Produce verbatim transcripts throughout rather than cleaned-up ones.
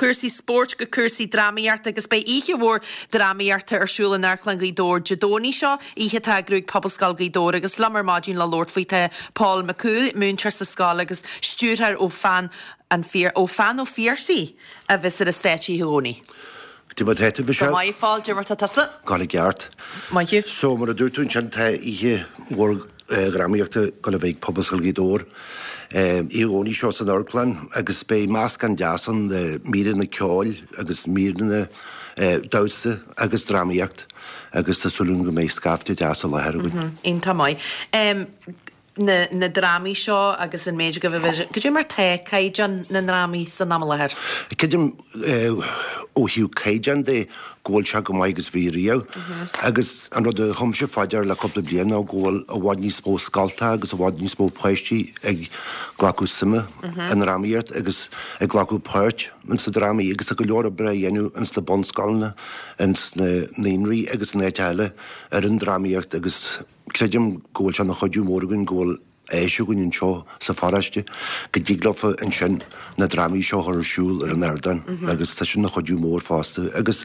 chúrsaí spóirt go cúrsaí drámaíochta agus beidh oíche mhór drámaíochta ar siúl in Amharclann Ghaoth Dobhair Dé Domhnaigh seo, oíche atá á eagrú ag Pobalscoil Ghaoth Dobhair agus liom ar maidin le labhairt faoi tá Paul McCool, múinteoir sa scoil agus stiúrthóir ó Pheann an Phia ó Pheann Ó Phiarsaigh a bheas ar an stáitse oíche Dhomhnaigh. Cad é mar tá tú, Go Michelle? maith, Phóil, cad é mar tá tusa? Go ceart. Maith thú. So mar a dúirt tú ansin tá oíche mhór dhrámaíochta ag gabháil a bheith ag Pobalscoil Ghaoth Dobhair. Oíche Dhomhnaigh seo san amharclann agus beidh meascán deas ann de míreanna ceoil agus míreanna damhsa agus drámaíocht agus tá súil agam go mbeidh scaifte deas i láthair againn. Iontach maith. Na na drámaí seo agus an méid go bhfuil cad é mar tá caighdeán na ndrámaí san am i láthair? Creidim ó thaobh caighdeán de go bhfuil sé go maith agus bhí riamh. Agus an rud a thugamsa fá dear le cúpla bliain ná go bhfuil i bhfad níos mó scolta agus i bhfad níos mó páistí ag glacadh suime i ndrámaíocht agus ag glacadh páirt ins na drámaí agus tá go leor oibre á dhéanamh ins na bunscoileanna, ins na naíonraí agus in áit eile ar an drámaíocht agus creidim go bhfuil sé ina chuidiú mór againn go bhfuil áis againn anseo sa pharóiste go dtig leofa ansin na drámaí seo a chur ar siúl ar an ardán agus tá sin ina chuidiú mór fosta agus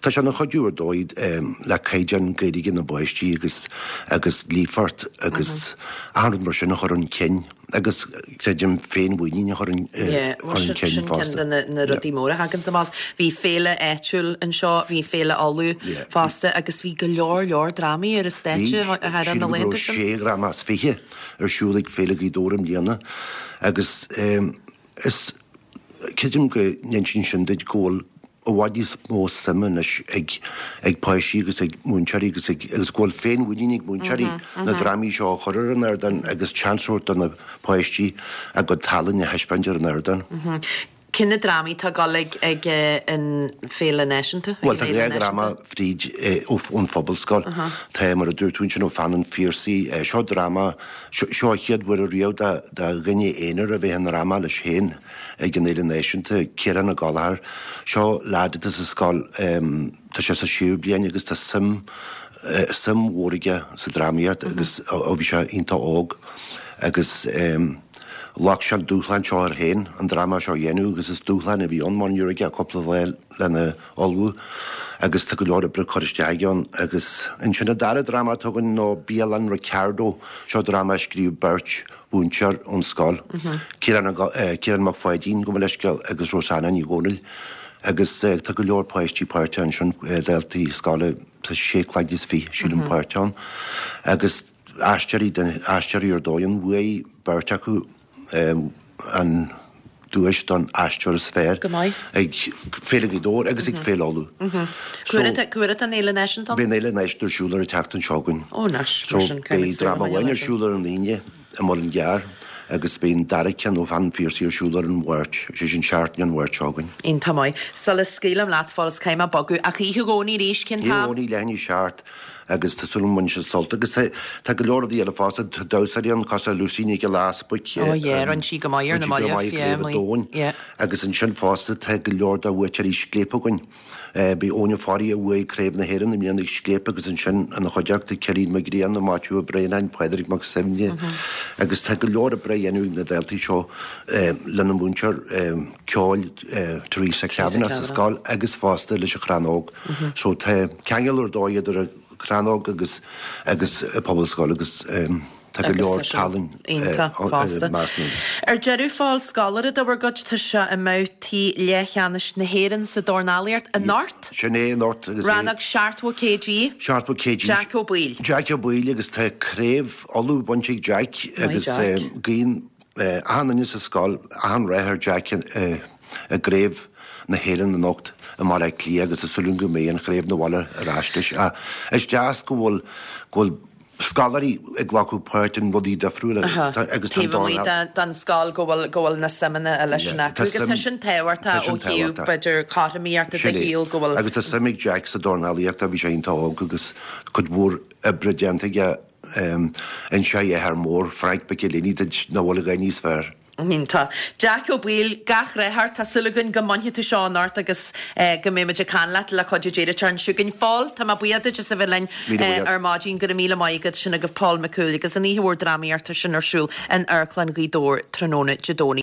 tá sé ina chuidiú ar dóigh le caighdeán Gaeilge na bpáistí agus agus líofacht agus achan rud mar sin a chur chun cinn agus creidim féinmhuinín a chur chun cinn Sin ceann fosta. de na na rudaí móra a thagann amach. Bhí féile áitiúil anseo, bhí féile Uladh fosta agus bhí go leor leor drámaí ar an stáitse Bhí thar na sílim go raibh laethanta sin. sé dhráma as fiche ar siúl ag Féile Ghaoth Dobhair i mbliana agus is creidim go n-insíonn sin duit go bhfuil i bhfad níos mó suime anois ag ag páistí agus ag múinteoirí agus ag agus go bhfuil féinmhuinín ag múinteoirí na drámaí seo a chur ar an ardán agus seans a thabhairt do na páistí a gcuid tallann a thaispeáint ar an ardán. Cén na drámaí atá ag dul ag ag an Féile Náisiúnta? Bhuel tá dhá dhráma fríd ón Phobalscoil. Tá mar a dúirt tú ansin ó Pheann an Phiarsaigh, seo dráma, seo an chéad uair riamh do dhuine aonair a bheith i ndráma leis féin ag an Fhéile Náisiúnta, Ciarán Ó Gallchóir. Seo leaid atá sa scoil, tá sé sa séú bliain agus tá suim suim mhór aige sa drámaíocht agus ó bhí sé iontach óg agus ghlac sé an dúshlán seo air féin an dráma seo a dhéanamh agus is dúshlán a bhí ann mar ní raibh aige ach cúpla lá lena ullmhú agus tá go leor oibre curtha isteach aige ann agus ansin an dara dráma atá againn ná Bialann Ricardo, seo dráma a scríobh beirt mhúinteoir ón scoil, Ciarán Ciarán Mac Pháidín, gabh mo leithscéal, agus Rosanna Ní Dhomhnaill agus tá go leor páistí páirteach ansin, daltaí scoile, tá sé cloigne is fiche sílim páirteach ann agus aisteoirí aisteoirí ar dóigh ann, bhuaigh beirt acu an duais don aisteoir is fearr Go maith. ag Féile Ghaoth Dobhair agus ag Féile Uladh. So Cá huair atá an Fhéile Náisiúnta ann? Beidh an Fhéile Náisiúnta ar siúl ar an tseachtain seo chugainn. Ó anois, So mar sin, caithfimid beidh súil a dráma choinneáil amháin ar air sin. siúl ar an Aoine i Muileann gCearr agus beidh an dara ceann ó Pheann an Phiarsaigh ar siúl ar an Mháirt, sé sin seachtain an Mháirt seo chugainn. Iontach maith. Sula scaoilim leat, Phóil, is caithfidh mé bogadh, ach oíche Dhomhnaigh arís, cén Oíche t-am? Dhomhnaigh, leath i ndiaidh a seacht agus tá súil agam go mbainfidh sibh sult agus tá go leor rudaí eile fosta, tá damhsóirí ann cosúil le Lucy Nic Giolla Easbuic, Ó yeah, rinne sí go maith ar na rinne sí go mallaibh, maith ag yeah, Craobh an maith, Domhain yeah. agus ansin fosta tá go leor de bhuaiteoirí Scléip againn. Bhí Eoin Ó Fearraigh a bhuaigh Craobh na hÉireann i mbliana ag Scléip agus ansin ina chuideachta Cillian Mac Grianna, Maitiú Ó Braonáin, Pádraig Mac Suibhne agus tá go leor oibre á dhéanamh ag na daltaí seo lena múinteoir ceoil Teresa Teresa Kavanagh sa Kavanagh. scoil agus fosta leis an Chrannóg. So tá ceangal ar dóigh idir an Chrannóg agus agus an Phobalscoil agus tá go Agus leor tá sin tallann iontach fosta. measc na. Ar deireadh, Phóil, scoláire de bhur gcuid, tá sé i mbabhtaí leathcheannais na hÉireann sa dornálaíocht anocht. Sin é anocht agus é. Rannóg seachtó kg. Seachtó kg. Jack Ó Baoill. Jack Ó Baoill agus tá craobh Uladh bainte ag Jack Maith agus Jack. guíonn achan duine sa scoil achan rath ar Jack i gcraobh na hÉireann anocht i mBaile Átha Cliath agus tá súil agam go mbeidh an chraobh 'na bhaile ar ais leis. Is deas go bhfuil go bhfuil scoláirí ag glacadh páirt in rudaí difriúla agus tá an Taobh amuigh dornáil. den scoil go bhfuil go bhfuil na suimeanna eile sin Yeah, acu tá agus tá suim sin tá tábhachtach ó sin thaobh tábhachtach. b'fhéidir cothromaíochta de Sin é. shaol go bhfuil Agus tá suim ag Jack sa dornálaíocht, bhí sé iontach óg agus cuid mhór oibre déanta aige inseoidh a athair mór, Frank McElhinney duit nach bhfuil a dhath níos fearr. Iontach. Jack Ó Baoill, gach rath ort. Tá súil againn go mbainfidh tú seo anocht agus go mbeidh muid ag caint leat le cuidiú Dé an tseachtain seo chugainn. Phóil, tá mé buíoch duit as a bheith linn Míle buíochas. ar maidin. Go raibh míle maith agat. Sin agaibh Paul McCool agus an oíche mhór drámaíochta sin ar siúl in Amharclann Ghaoth Dobhair tráthnóna Dé Domhnaigh.